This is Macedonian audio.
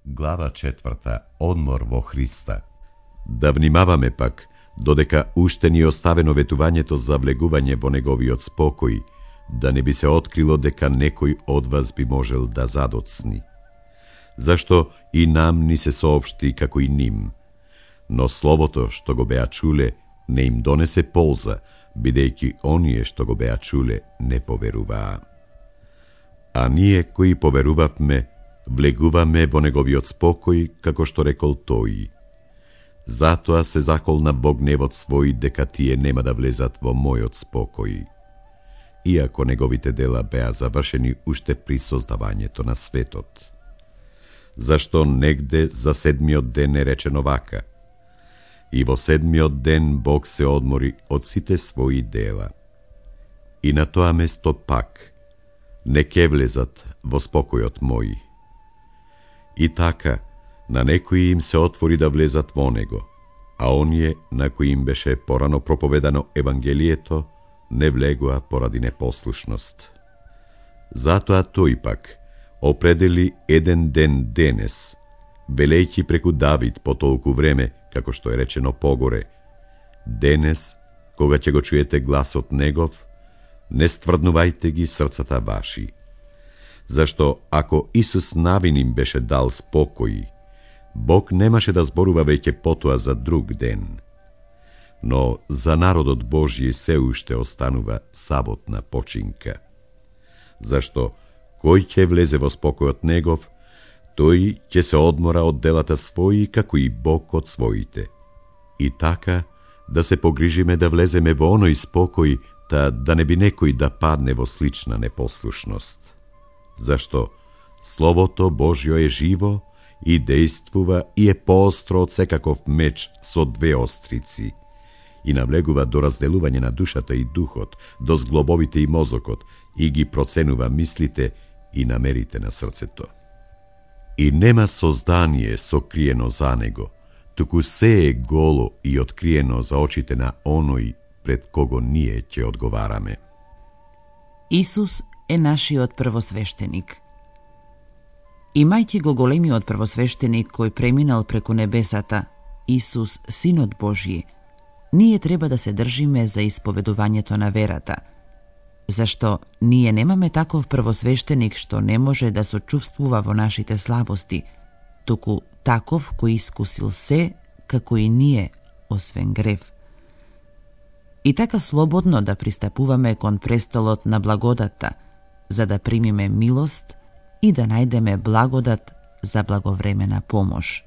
Глава 4. Одмор во Христа. Да внимаваме пак, додека уште ни оставено ветувањето за влегување во неговиот спокој, да не би се открило дека некој од вас би можел да задоцни. Зашто и нам ни се соопшти како и ним, но словото што го беа чуле не им донесе полза, бидејќи оние што го беа чуле не поверуваа. А ние кои поверувавме, влегуваме во неговиот спокој, како што рекол тој. Затоа се закол на Бог гневот свој дека тие нема да влезат во мојот спокој. Иако неговите дела беа завршени уште при создавањето на светот. Зашто негде за седмиот ден е речено вака: и во седмиот ден Бог се одмори од сите своји дела. И на тоа место пак не ке влезат во спокојот мој. И така, на некои им се отвори да влезат во него, а оние на кои им беше порано проповедано Евангелието, не влегоа поради непослушност. Затоа тој пак определи еден ден денес, велејќи преку Давид по толку време, како што е речено погоре: денес, кога ќе го чуете гласот негов, не стврднувајте ги срцата ваши. Зашто ако Исус навин им беше дал спокој, Бог немаше да зборува веќе потоа за друг ден. Но за народот Божји се уште останува саботна починка. Зашто кој ќе влезе во спокојот негов, тој ќе се одмора од делата своји, како и Бог од своите. И така, да се погрижиме да влеземе во оној спокој, да не би некој да падне во слична непослушност. Зашто Словото Божјо е живо и действува и е поостро од секаков меч со две острици и навлегува до разделување на душата и духот, до зглобовите и мозокот, и ги проценува мислите и намерите на срцето. И нема создание сокриено за него, туку се е голо и откриено за очите на оној пред кого ние ќе одговараме. Исус е нашиот првосвештеник. Имајќи го големиот првосвештеник кој преминал преку небесата, Исус, Синот Божји, ние треба да се држиме за исповедувањето на верата, зашто ние немаме таков првосвештеник што не може да сочувствува во нашите слабости, туку таков кој искусил се, како и ние, освен грев. И така слободно да пристапуваме кон престолот на благодатта, за да примиме милост и да најдеме благодат за благовремена помош.